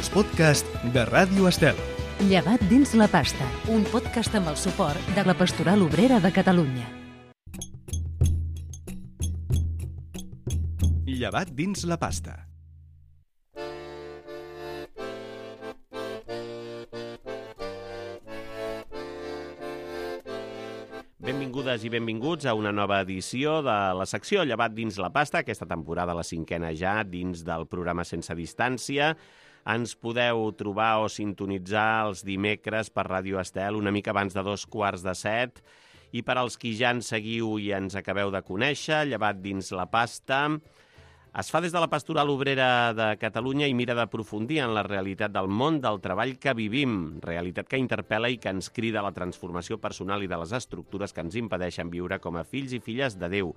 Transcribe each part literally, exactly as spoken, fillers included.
els podcasts de Ràdio Estel. Llevat dins la pasta, un podcast amb el suport de la Pastoral Obrera de Catalunya. Llevat dins la pasta. Benvingudes i benvinguts a una nova edició de la secció Llevat dins la pasta, aquesta temporada la cinquena ja, dins del programa Sense Distància. Ens podeu trobar o sintonitzar els dimecres per Ràdio Estel una mica abans de dos quarts de set. I per als qui ja ens seguiu i ens acabeu de conèixer, Llevat dins la pasta es fa des de la Pastoral Obrera de Catalunya i mira d'aprofundir en la realitat del món del treball que vivim, realitat que interpel·la i que ens crida a la transformació personal i de les estructures que ens impedeixen viure com a fills i filles de Déu.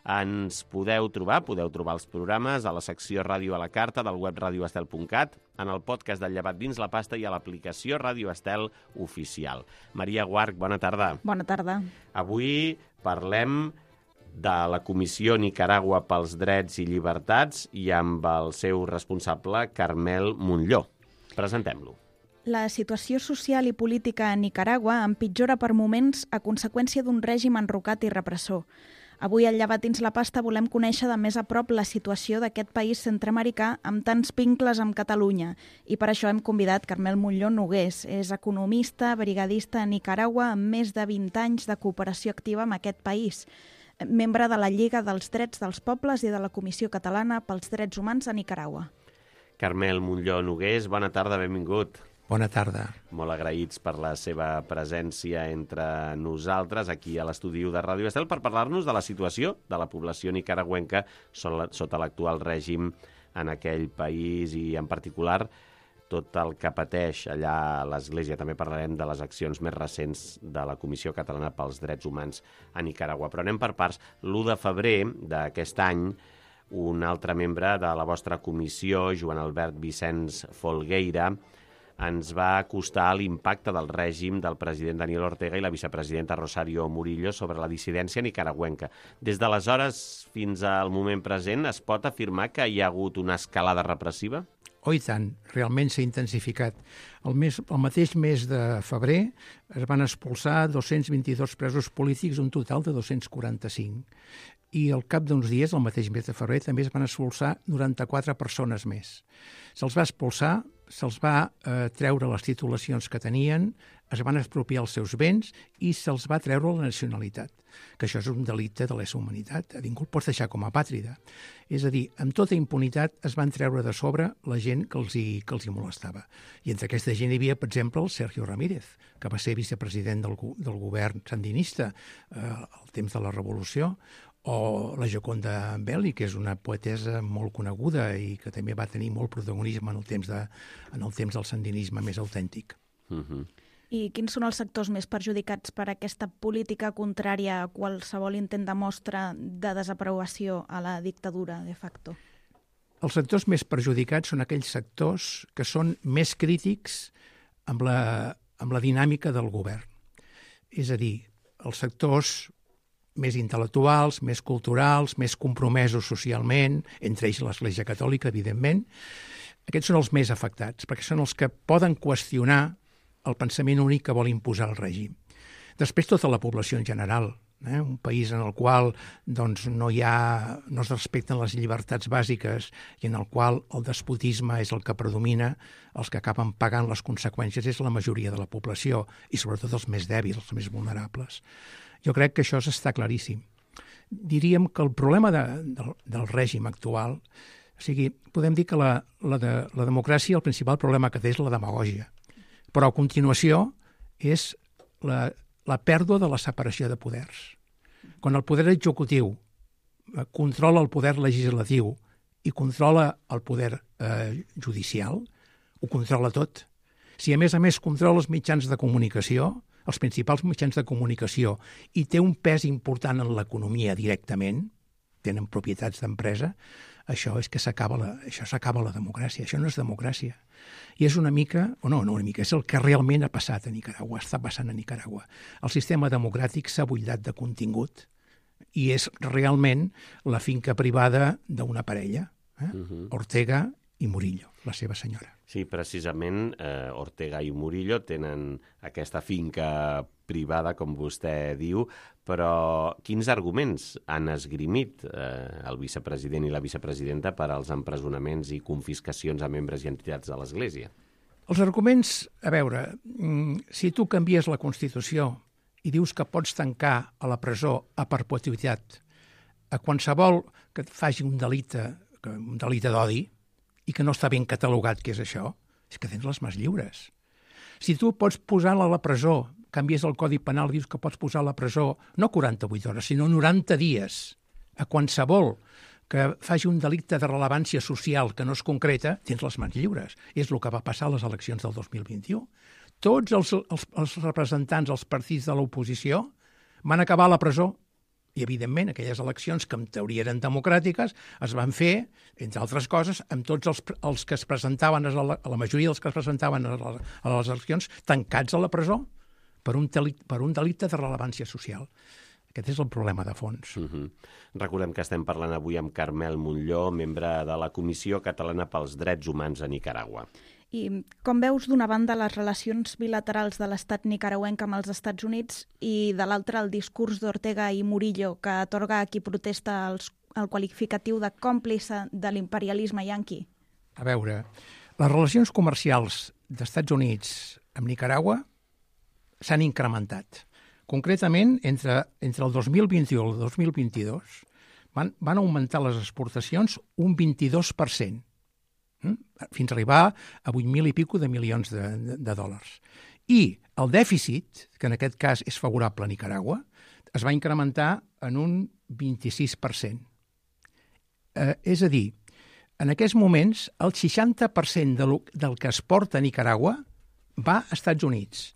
Ens podeu trobar, podeu trobar els programes a la secció Ràdio a la Carta del web radio estel punt cat, en el podcast del Llevat dins la pasta i a l'aplicació Ràdio Estel oficial. Maria Guarch, bona tarda. Bona tarda. Avui parlem de la Comissió Nicaragua pels Drets i Llibertats i amb el seu responsable, Carmel Montllor. Presentem-lo. La situació social i política a Nicaragua empitjora per moments a conseqüència d'un règim enrocat i repressor. Avui, al Llevat dins la pasta, volem conèixer de més a prop la situació d'aquest país centreamericà amb tants vincles amb Catalunya. I per això hem convidat Carmel Montllor Nogués. És economista, brigadista a Nicaragua amb més de vint anys de cooperació activa amb aquest país. Membre de la Lliga dels Drets dels Pobles i de la Comissió Catalana pels Drets Humans a Nicaragua. Carmel Montllor Nogués, bona tarda, benvingut. Bona tarda. Molt agraïts per la seva presència entre nosaltres aquí a l'estudi de Ràdio Estel per parlar-nos de la situació de la població nicaragüenca sota l'actual règim en aquell país i en particular tot el que pateix allà a l'Església. També parlarem de les accions més recents de la Comissió Catalana pels Drets Humans a Nicaragua. Però anem per parts. l'u de febrer d'aquest any, un altre membre de la vostra comissió, Joan Albert Vicenç Folgueira, ens va acostar l'impacte del règim del president Daniel Ortega i la vicepresidenta Rosario Murillo sobre la dissidència nicaragüenca. Des d'aleshores fins al moment present, es pot afirmar que hi ha hagut una escalada repressiva? Oh, i tant, realment s'ha intensificat. El, mes, el mateix mes de febrer es van expulsar dos-cents vint-i-dos presos polítics, un total de dos-cents quaranta-cinc. I al cap d'uns dies, el mateix mes de febrer, també es van expulsar noranta-quatre persones més. Se'ls va expulsar, se'ls va eh, treure les titulacions que tenien, es van expropiar els seus béns i se'ls va treure la nacionalitat, que això és un delicte de lesa humanitat. A ningú el pots deixar com a pàtrida. És a dir, amb tota impunitat es van treure de sobre la gent que els hi, que els hi molestava. I entre aquesta gent hi havia, per exemple, el Sergio Ramírez, que va ser vicepresident del, del govern sandinista eh, al temps de la Revolució, o la Gioconda Belli, que és una poetesa molt coneguda i que també va tenir molt protagonisme en el temps, de, en el temps del sandinisme més autèntic. Uh-huh. I quins són els sectors més perjudicats per aquesta política contrària a qualsevol intent de mostra de desaprovació a la dictadura de facto? Els sectors més perjudicats són aquells sectors que són més crítics amb la, amb la dinàmica del govern. És a dir, els sectors més intel·lectuals, més culturals, més compromesos socialment, entre ells l'Església Catòlica, evidentment. Aquests són els més afectats, perquè són els que poden qüestionar el pensament únic que vol imposar el règim. Després, tota la població en general, eh? Un país en el qual doncs, no, hi ha, no es respecten les llibertats bàsiques i en el qual el despotisme és el que predomina, els que acaben pagant les conseqüències és la majoria de la població i sobretot els més dèbils, els més vulnerables. Jo crec que això està claríssim. Diríem que el problema de, de, del règim actual, o sigui, podem dir que la, la, de, la democràcia, el principal problema que té és la demagògia. Però a continuació és la, la pèrdua de la separació de poders. Quan el poder executiu controla el poder legislatiu i controla el poder eh, judicial, ho controla tot. Si a més a més controla els mitjans de comunicació, els principals mitjans de comunicació, i té un pes important en l'economia directament, tenen propietats d'empresa, això és que s'acaba la, això s'acaba la democràcia. Això no és democràcia. I és una mica, o no, no una mica, és el que realment ha passat a Nicaragua, està passant a Nicaragua. El sistema democràtic s'ha buidat de contingut i és realment la finca privada d'una parella. Eh? Uh-huh. Ortega i Murillo, la seva senyora. Sí, precisament eh, Ortega i Murillo tenen aquesta finca privada, com vostè diu, però quins arguments han esgrimit eh, el vicepresident i la vicepresidenta per als empresonaments i confiscacions a membres i entitats de l'Església? Els arguments, a veure, si tu canvies la Constitució i dius que pots tancar a la presó a perpetuïtat a qualsevol que faci un delicte, un delicte d'odi, i que no està ben catalogat què és això, és que tens les mans lliures. Si tu pots posar a la presó, canvies el Codi Penal, dius que pots posar a la presó no quaranta-vuit hores, sinó noranta dies, a qualsevol que faci un delicte de rellevància social que no es concreta, tens les mans lliures. És el que va passar a les eleccions del dos mil vint-i-u. Tots els, els, els representants dels partits de l'oposició van acabar a la presó. I, evidentment, aquelles eleccions que en teoria eren democràtiques es van fer, entre altres coses, amb tots els, els que es presentaven, a la, a la majoria dels que es presentaven a, la, a les eleccions, tancats a la presó per un, delicte, per un delicte de rellevància social. Aquest és el problema de fons. Uh-huh. Recordem que estem parlant avui amb Carmel Montllor, membre de la Comissió Catalana pels Drets Humans a Nicaragua. I com veus, d'una banda, les relacions bilaterals de l'estat nicaragüenc amb els Estats Units i, de l'altra, el discurs d'Ortega i Murillo, que atorga a qui protesta els, el qualificatiu de còmplice de l'imperialisme yanqui? A veure, les relacions comercials d'Estats Units amb Nicaragua s'han incrementat. Concretament, entre, entre el dos mil vint-i-u i el dos mil vint-i-dos van, van augmentar les exportacions un vint-i-dos per cent. Fins a arribar a vuit mil i pico de milions de, de, de dòlars. I el dèficit, que en aquest cas és favorable a Nicaragua, es va incrementar en un vint-i-sis per cent. Eh, és a dir, en aquests moments, el seixanta per cent de lo, del que es porta a Nicaragua va a Estats Units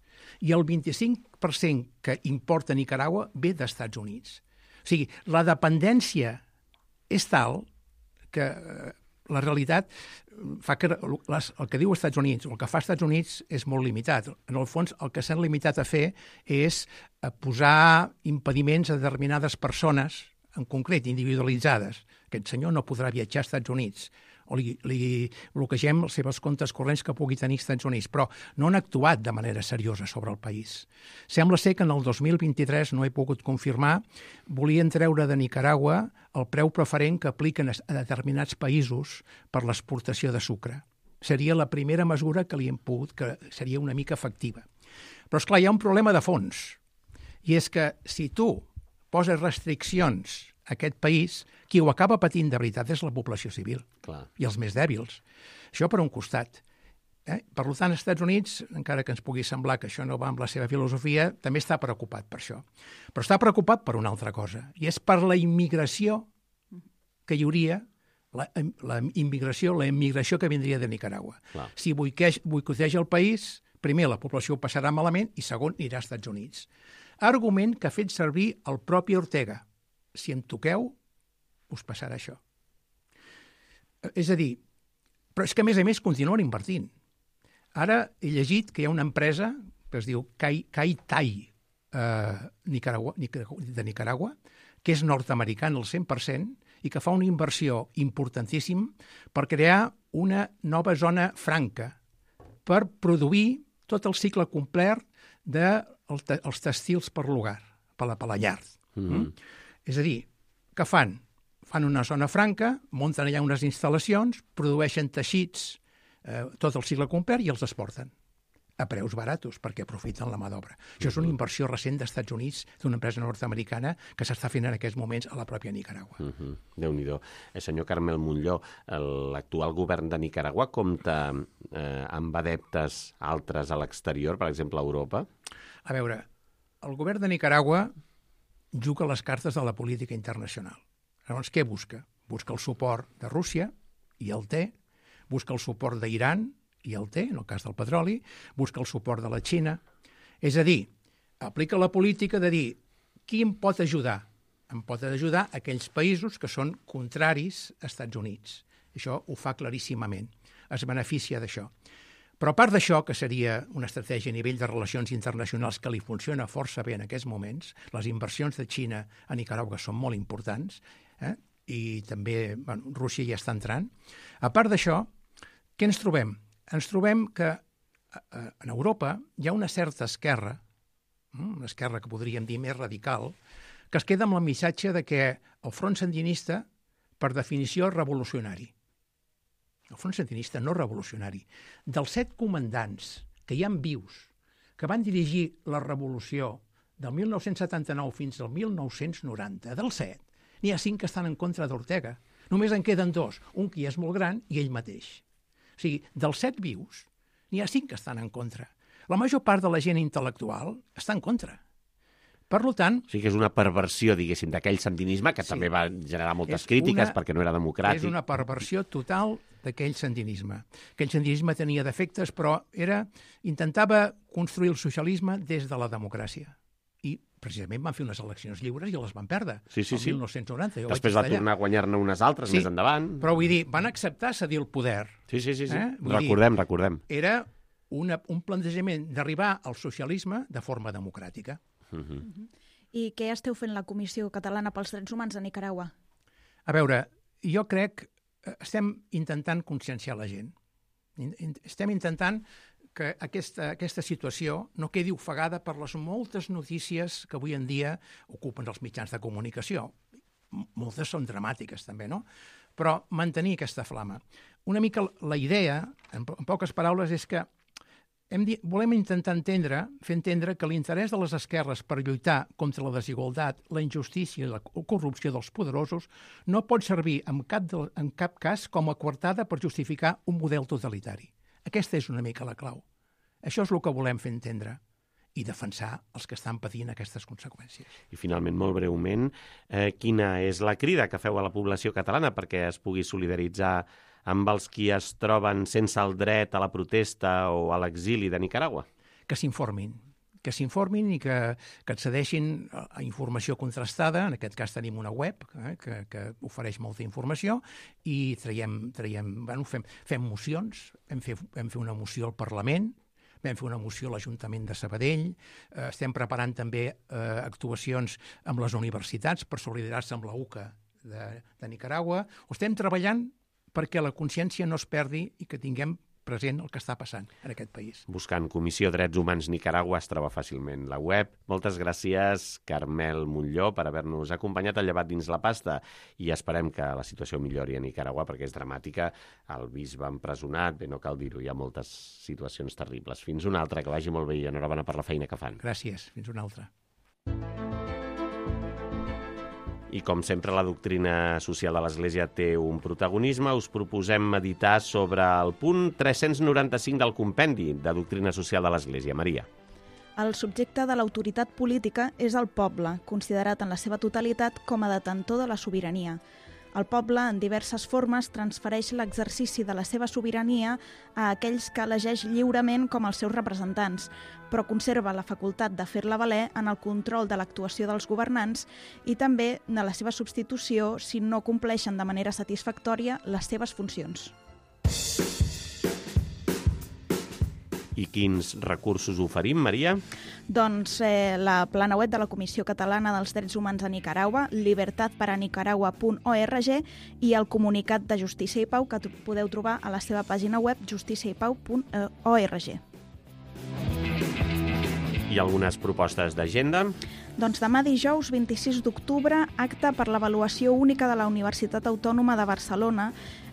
i el vint-i-cinc per cent que importa a Nicaragua ve d'Estats Units. O sigui, la dependència és tal que eh, la realitat fa que les, el que diu Estats Units, el que fa Estats Units és molt limitat. En el fons, el que s'han limitat a fer és a posar impediments a determinades persones, en concret, individualitzades. Aquest senyor no podrà viatjar als Estats Units, o li, li bloquegem els seus comptes corrents que pugui tenir als Estats Units, però no han actuat de manera seriosa sobre el país. Sembla ser que en el dos mil vint-i-tres, no he pogut confirmar, volien treure de Nicaragua el preu preferent que apliquen a determinats països per l'exportació de sucre. Seria la primera mesura que li hem pogut, que seria una mica efectiva. Però, esclar, hi ha un problema de fons, i és que si tu poses restriccions a aquest país, qui ho acaba patint de veritat és la població civil. Clar. I els més dèbils. Això per un costat. Eh? Per tant, als Estats Units, encara que ens pugui semblar que això no va amb la seva filosofia, també està preocupat per això. Però està preocupat per una altra cosa, i és per la immigració que hi hauria, la, la immigració, la immigració que vindria de Nicaragua. Clar. Si boicoteja el país, primer la població ho passarà malament i segon anirà als Estats Units. Argument que ha fet servir el propi Ortega. Si em toqueu, us passarà això. És a dir, però és que a més a més continuen invertint. Ara he llegit que hi ha una empresa que es diu Kai, Kai Tai eh, Nicaragua, de Nicaragua, que és nord-americana al cent per cent i que fa una inversió importantíssima per crear una nova zona franca per produir tot el cicle complet dels tèxtils per l'hogar, per la, per la llar. Mm-hmm. Mm? És a dir, què fan? Fan una zona franca, munten allà unes instal·lacions, produeixen teixits, eh, tot el cicle complet i els exporten a preus baratos perquè aprofiten la mà d'obra. Això és una inversió recent d'Estats Units, d'una empresa nord-americana que s'està fent en aquests moments a la pròpia Nicaragua. Uh-huh. Déu-n'hi-do. El senyor Carmel Montllor, l'actual govern de Nicaragua compta eh, amb adeptes altres a l'exterior, per exemple a Europa? A veure, el govern de Nicaragua juga les cartes de la política internacional. Llavors, què busca? Busca el suport de Rússia, i el té, busca el suport d'Iran, i el té, en el cas del petroli, busca el suport de la Xina. És a dir, aplica la política de dir qui em pot ajudar? Em pot ajudar aquells països que són contraris als Estats Units. Això ho fa claríssimament. Es beneficia d'això. Però a part d'això, que seria una estratègia a nivell de relacions internacionals que li funciona força bé en aquests moments, les inversions de Xina a Nicaragua són molt importants, eh? I també bueno, Rússia ja està entrant. A part d'això, Què ens trobem? Ens trobem que en Europa hi ha una certa esquerra, una esquerra que podríem dir més radical, que es queda amb el missatge de que el front sandinista, per definició, és revolucionari. El front sandinista no revolucionari. Dels set comandants que hi ha vius, que van dirigir la revolució del mil nou-cents setanta-nou fins al mil nou-cents noranta, dels set, n'hi ha cinc que estan en contra d'Ortega. Només en queden dos, un que ja és molt gran i ell mateix. O sigui, dels set vius, n'hi ha cinc que estan en contra. La major part de la gent intel·lectual està en contra. Per tant... O sigui que és una perversió, diguéssim, d'aquell sandinisme, que sí, també va generar moltes crítiques una, perquè no era democràtic. És una perversió total d'aquell sandinisme. Aquell sandinisme tenia defectes, però era intentava construir el socialisme des de la democràcia. I precisament van fer unes eleccions lliures i les van perdre. Sí, sí, sí. El mil nou-cents noranta. Després va tornar a guanyar-ne unes altres sí, més endavant. Però vull dir, van acceptar cedir el poder. Sí, sí, sí. sí. Eh? Recordem, dir, recordem. Era una, un plantejament d'arribar al socialisme de forma democràtica. Uh -huh. Uh -huh. I què esteu fent la Comissió Catalana pels Drets Humans a Nicaragua? A veure, jo crec que estem intentant conscienciar la gent. Estem intentant que aquesta, aquesta situació no quedi ofegada per les moltes notícies que avui en dia ocupen els mitjans de comunicació. Moltes són dramàtiques, també, no? Però mantenir aquesta flama. Una mica la idea, en, en poques paraules, és que Hem dit, volem intentar entendre, fer entendre que l'interès de les esquerres per lluitar contra la desigualtat, la injustícia i la corrupció dels poderosos no pot servir en cap, de, en cap cas com a coartada per justificar un model totalitari. Aquesta és una mica la clau. Això és el que volem fer entendre i defensar els que estan patint aquestes conseqüències. I finalment, molt breument, eh, quina és la crida que feu a la població catalana perquè es pugui solidaritzar amb els qui es troben sense el dret a la protesta o a l'exili de Nicaragua? Que s'informin, que s'informin i que, que accedeixin a informació contrastada. En aquest cas tenim una web eh, que, que ofereix molta informació i traiem, traiem, bueno, fem, fem mocions, vam fer, vam fer una moció al Parlament, vam fer una moció a l'Ajuntament de Sabadell, eh, estem preparant també eh, actuacions amb les universitats per solidaritzar-se amb la U C A de, de Nicaragua. Ho estem treballant perquè la consciència no es perdi i que tinguem present el que està passant en aquest país. Buscant Comissió Drets Humans Nicaragua es troba fàcilment la web. Moltes gràcies, Carmel Montllor, per haver-nos acompanyat al Llevat dins la pasta i esperem que la situació millori a Nicaragua perquè és dramàtica. El bisbe empresonat, bé, no cal dir-ho, hi ha moltes situacions terribles. Fins una altra, que vagi molt bé i enhorabona per la feina que fan. Gràcies, fins una altra. I com sempre la doctrina social de l'Església té un protagonisme, us proposem meditar sobre el punt tres-cents noranta-cinc del compendi de doctrina social de l'Església. Maria. El subjecte de l'autoritat política és el poble, considerat en la seva totalitat com a detentor de la sobirania. El poble, en diverses formes, transfereix l'exercici de la seva sobirania a aquells que elegeix lliurement com els seus representants, però conserva la facultat de fer-la valer en el control de l'actuació dels governants i també de la seva substitució si no compleixen de manera satisfactòria les seves funcions. I quins recursos oferim, Maria? Doncs eh, la plana web de la Comissió Catalana dels Drets Humans a Nicaragua, libertad para nicaragua punt org, i el comunicat de Justícia i Pau que podeu trobar a la seva pàgina web justícia i pau punt org. I algunes propostes d'agenda? Doncs demà dijous vint-i-sis d'octubre, acte per l'avaluació única de la Universitat Autònoma de Barcelona,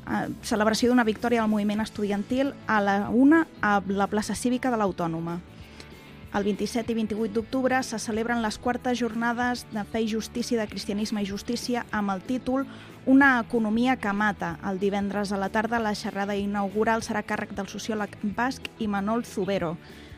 eh, celebració d'una victòria del moviment estudiantil a la una a la plaça cívica de l'Autònoma. El vint-i-set i vint-i-vuit d'octubre se celebren les quartes jornades de Fe i Justícia, de Cristianisme i Justícia, amb el títol Una economia que mata. El divendres a la tarda la xerrada inaugural serà a càrrec del sociòleg basc Imanol Zubero,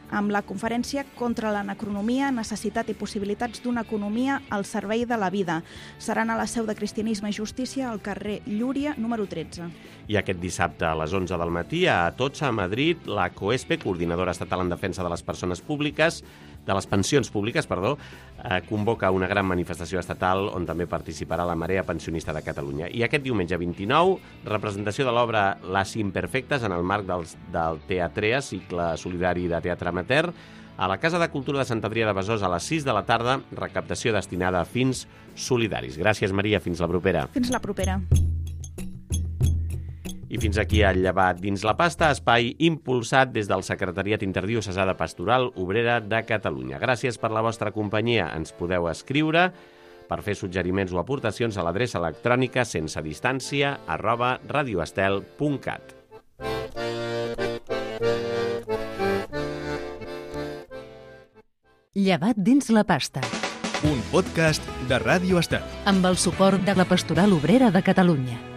amb la conferència Contra l'anacronomia, necessitat i possibilitats d'una economia al servei de la vida. Seran a la seu de Cristianisme i Justícia al carrer Llúria, número tretze. I aquest dissabte a les onze del matí a Atocha, a Madrid, la COESPE, Coordinadora Estatal en Defensa de les Persones Públiques, de les Pensions Públiques, perdó, eh, convoca una gran manifestació estatal on també participarà la Marea Pensionista de Catalunya. I aquest diumenge vint-i-nou, representació de l'obra Les Imperfectes en el marc del, del Teatrea, cicle solidari de teatre amateur, a la Casa de Cultura de Sant Adrià de Besòs a les sis de la tarda, recaptació destinada a fins solidaris. Gràcies, Maria. Fins la propera. Fins la propera. I fins aquí el Llevat dins la pasta, espai impulsat des del Secretariat Interdiocesà de Pastoral Obrera de Catalunya. Gràcies per la vostra companyia. Ens podeu escriure per fer suggeriments o aportacions a l'adreça electrònica sense distància arroba radioestel punt cat. Llevat dins la pasta. Un podcast de Ràdio Estel. Amb el suport de la Pastoral Obrera de Catalunya.